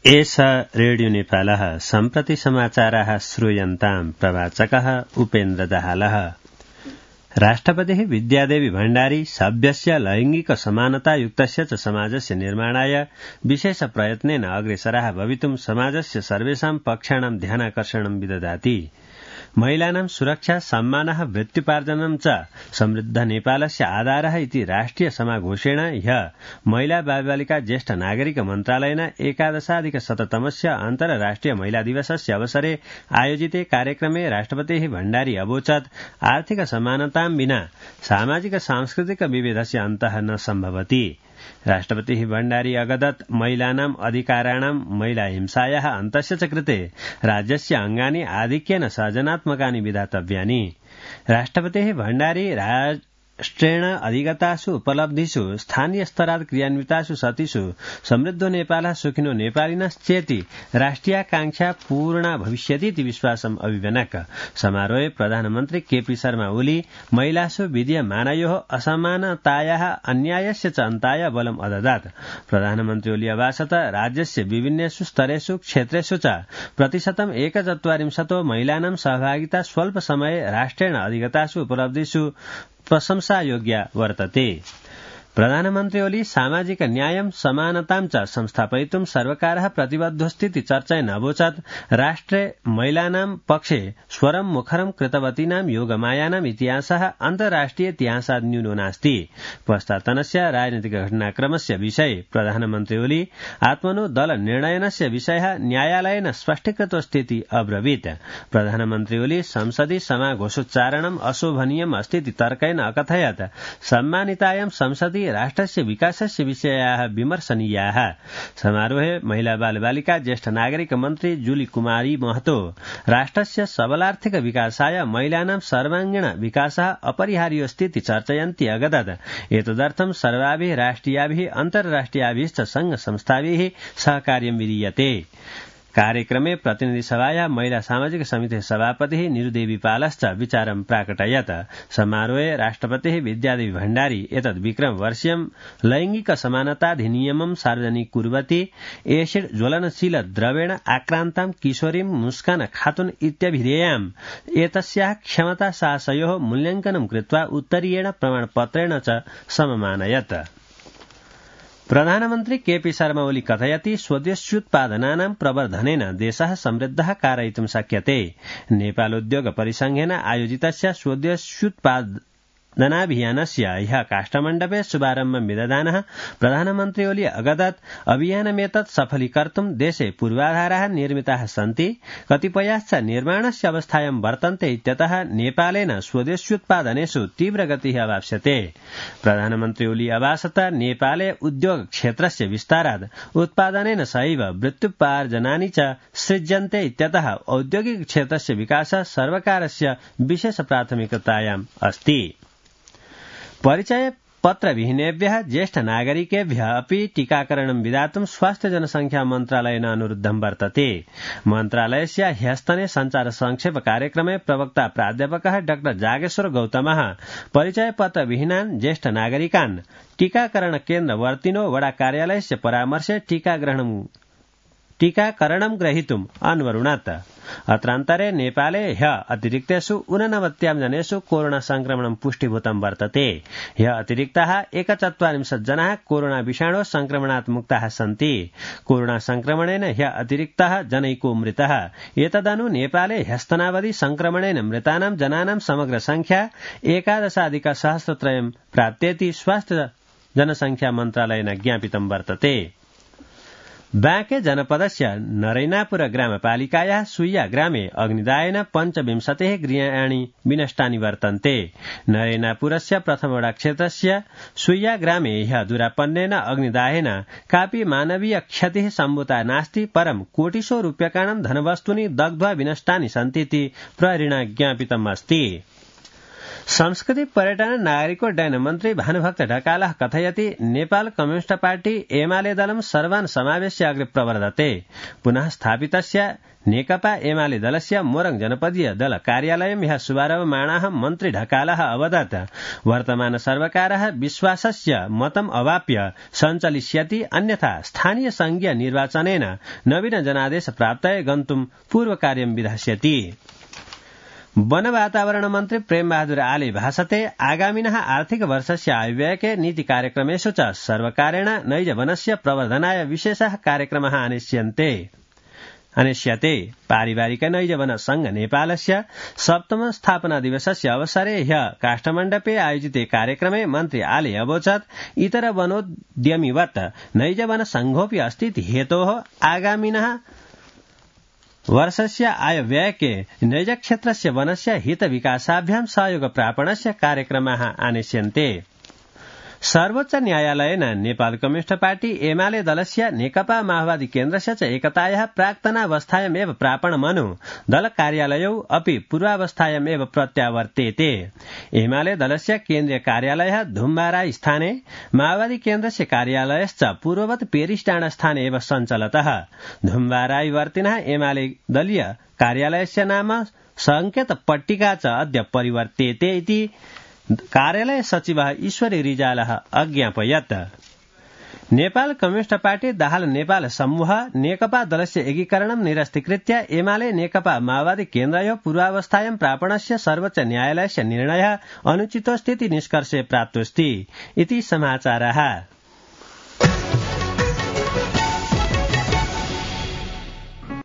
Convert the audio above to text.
एष रेडियो नेपालः सम्प्रति समाचाराः श्रूयन्ताम् प्रवाचकः उपेन्द्र दाहालः। राष्ट्रपतिः विद्यादेवी भण्डारी सभ्यस्य लैङ्गिक समानतायुक्तस्य च समाजस्य निर्माणाय विशेष प्रयत्नेन अग्रेसराः भवितुम् समाजस्य सर्वेषां पक्षाणां ध्यानाकर्षणं विदधाति। महिलानां सुरक्षा सम्मानः वृत्त्युपार्जनं च समृद्ध नेपालस्य आधारः इति राष्ट्रिय समाघोषेण ह्यः महिला बालबालिका ज्येष्ठ नागरिक मन्त्रालयेन 11अधिक-100तमस्य अन्तर्राष्ट्रिय महिला दिवसस्य अवसरे आयोजिते कार्यक्रमे राष्ट्रपतिः भण्डारी अवोचत् आर्थिक समानतां विना सामाजिक सांस्कृतिक विभेदस्य अन्तः न सम्भवति। राष्ट्रपतिः भण्डारी अगदत् महिलानाम् अधिकाराणां महिला हिंसायाः अन्तस्य च कृते राज्यस्य अङ्गानि आधिक्येन सर्जनात्मकानि विधातव्यानि। राष्ट्रपतिः भण्डारी राष्ट्रेण अधिगतासु उपलब्धिषु स्थानीय स्तरात् क्रियान्वितासु सतिषु समृद्धो नेपालः सुखिनो नेपालिनश्चेति राष्ट्रियाकांक्षा पूर्णा भविष्यतीति विश्वासम् अभिव्यनक्। समारोहे प्रधानमन्त्री केपी शर्मा ओली महिलासु विद्यमानयोः असमानतायाः अन्यायस्य च अन्ताय बलम् अददात्। प्रधानमन्त्री ओली अभाषत राज्यस्य विभिन्नेषु स्तरेषु क्षेत्रेषु च प्रतिशतम् 1.4% महिलानां सहभागिता स्वल्प समये राष्ट्रेण अधिगतासु उपलब्धिषु प्रशंसायोग्या वर्तते। प्रधानमन्त्री ओली सामाजिक न्यायं समानतां च संस्थापयितुं सर्वकारः प्रतिबद्धोऽस्तीति चर्चयन् अवोचत् राष्ट्रे महिलानां पक्षे स्वरं मुखरं कृतवतीनां योगमायानाम् इतिहासः अन्तर्राष्ट्रिय इतिहासात् न्यूनो नास्ति। पश्चात्तनस्य राजनीतिक घटनाक्रमस्य विषये प्रधानमन्त्री ओली आत्मनो दल निर्णयनस्य विषयः न्यायालयेन स्पष्टीकृतोऽस्तीति अब्रवीत्। प्रधानमन्त्री ओली संसदि समाघोषोच्चारणम् अशोभनीयम् अस्तीति तर्कयन् अकथयत् सम्मानितायां संसदि राष्ट्रस्य विकासस्य विषयाः विमर्शनीयाः। समारोहे महिला बालबालिका ज्येष्ठ नागरिक मन्त्री जुली कुमारी महतो राष्ट्रस्य सबलार्थिक विकासाय महिलानां सर्वाङ्गीण विकासः अपरिहार्योऽस्तीति चर्चयन्ती अगदत् एतदर्थं सर्वाभिः राष्ट्रियाभिः अन्तर्राष्ट्रियाभिश्च संघ संस्थाभिः सहकार्यं विधीयते। कार्यक्रमे प्रतिनिधिसभाया महिला सामाजिक समितेः सभापतिः निरुदेवी पालश्च विचारं प्राकटयत्। समारोहे राष्ट्रपतिः विद्यादेवी भण्डारी एतद् विक्रमवर्षीयं लैङ्गिक समानताधिनियमं सार्वजनिकुर्वती एसिड ज्वलनशील द्रवेण आक्रान्तां किशोरीं मुस्कान खातुन इत्यभिधेयाम् एतस्याः क्षमता साहसयोः मूल्याङ्कनं कृत्वा उत्तरीयेण प्रमाणपत्रेण च सममानयत्। प्रधानमन्त्री केपी शर्मा ओली कथयति स्वदेश्युत्पादनानां प्रवर्धनेन देशः समृद्धः कारयितुं शक्यते। नेपालोद्योग परिसंघेन आयोजितस्य स्वदेश्युत्पादनाभियानस्य ह्यः काष्ठमण्डपे शुभारम्भं विदधानः प्रधानमन्त्री ओली अगदत् अभियानमेतत् सफलीकर्तुं देशे पूर्वाधाराः निर्मिताः सन्ति, कतिपयाश्च निर्माणस्य अवस्थायां वर्तन्ते इत्यतः नेपालेन स्वदेश्युत्पादनेषु तीव्रगतिः अवाप्स्यते। प्रधानमन्त्री ओली अभाषत नेपाले उद्योग क्षेत्रस्य विस्तारात् उत्पादनेन सहैव वृत्त्युपार्जनानि च सृज्यन्ते इत्यतः औद्योगिक क्षेत्रस्य विकासः सर्वकारस्य विशेष प्राथमिकतायाम् अस्ति। परिचय पत्रविहीनेभ्यः ज्येष्ठ नागरिकेभ्यः अपि टीकाकरणं विधातुं स्वास्थ्य जनसंख्या मन्त्रालयेन अनुरुद्धं वर्तते। मन्त्रालयस्य ह्यस्तने संचार संक्षेप कार्यक्रमे प्रवक्ता प्राध्यापकः डाक्टर जागेश्वर गौतमः परिचय पत्रविहीनान् ज्येष्ठ नागरिकान् टीकाकरण केन्द्रवर्तिनो वडा कार्यालयस्य परामर्शे टीकाकरणं ग्रहीतुम् अन्वरुणत्। अत्रान्तरे नेपाले ह्यः अतिरिक्तेषु 89 जनेषु कोरोना संक्रमणं पुष्टिभूतं वर्तते। ह्यः अतिरिक्ताः 41 जनाः कोरोना विषाणो संक्रमणात् मुक्ताः सन्ति। कोरोना संक्रमणेन ह्यः अतिरिक्ताः जनैको मृतः। एतदनु नेपाले ह्यस्तनावधि संक्रमणेन मृतानां जनानां समग्र संख्या 11,000 प्राप्तेति स्वास्थ्य जनसंख्या मन्त्रालयेन ज्ञापितं वर्तते। बाँके जनपदस्य नरैनापुर ग्रामपालिकायाः सुय्या ग्रामे अग्निदायेन 25 गृहाणि विनष्टानि वर्तन्ते। नरैनापुरस्य प्रथमवडा क्षेत्रस्य सुय्या ग्रामे ह्यः दुरापन्नेन अग्निदायेन कापि मानवीय क्षतिः सम्भूता नास्ति, परं कोटिशो रूप्यकाणां धनवस्तूनि दग्ध्वा विनष्टानि सन्तीति प्रहरिणा ज्ञापितम् अस्ति। संस्कृति पर्यटन नागरिकोड्डयन मन्त्री भानुभक्त ढकालः कथयति नेपाल कम्युनिस्ट पार्टी एमाले दलं सर्वान् समावेश्य अग्रे प्रवर्धते। पुनः स्थापितस्य नेकपा एमाले दलस्य मोरङ जनपदीय दल कार्यालयं ह्यः शुभारम्भमाणाः मन्त्री ढकालः अवदत् वर्तमान सर्वकारः विश्वासस्य मतम् अवाप्य सञ्चलिष्यति, अन्यथा स्थानीय संघीय निर्वाचनेन नवीन जनादेश प्राप्तये गन्तुं पूर्वकार्यं विधास्यति। वन वातावरण मन्त्री प्रेम बहादुर आले भाषते आगामिनः आर्थिक वर्षस्य आयव्ययके नीति कार्यक्रमेषु च सर्वकारेण नैज वनस्य प्रवर्धनाय विशेषः कार्यक्रमः अनिश्यते। पारिवारिक नैज वन संघ नेपालस्य 7तम स्थापना दिवसस्य अवसरे ह्यः काष्ठमण्डपे आयोजिते कार्यक्रमे मन्त्री आले अवोचत् इतर वनोद्यमिवत् नैज वन संघोऽपि अस्तीति हेतोः आगामिनः वर्षस्य आयव्ययके नैज क्षेत्रस्य वनस्य हित विकासाभ्यां सहयोग प्रापणस्य कार्यक्रमाः आनिष्यन्ते। सर्वोच्च न्यायालयेन नेपाल कम्युनिस्ट पार्टी एमाले दलस्य नेकपा माओवादी केन्द्रस्य च एकतायाः प्राक्तनावस्थायामेव प्रापणमनु दल कार्यालयौ अपि पूर्वावस्थायामेव प्रत्यावर्तेते। एमाले दलस्य केन्द्रीय कार्यालयः धुम्बाराई स्थाने, माओवादी केन्द्रस्य कार्यालयश्च पूर्ववत् पेरिसडाँडा स्थाने एव सञ्चलतः। धुम्बाराईवर्तिनः एमाले दलीय कार्यालयस्य नाम संकेत पट्टिका च अद्य परिवर्तेते इति कार्यालय सचिवः ईश्वरी रिजालः अज्ञापयत्। नेपाल कम्युनिस्ट पार्टी दाहाल नेपाल समूह नेकपा दलस्य एकीकरणं निरस्तीकृत्य एमाले नेकपा माओवादी केन्द्रयोः पूर्वावस्थायां प्रापणस्य सर्वोच्च न्यायालयस्य निर्णयः अनुचितोऽस्तीति निष्कर्षे प्राप्तोऽस्ति इति समाचारः।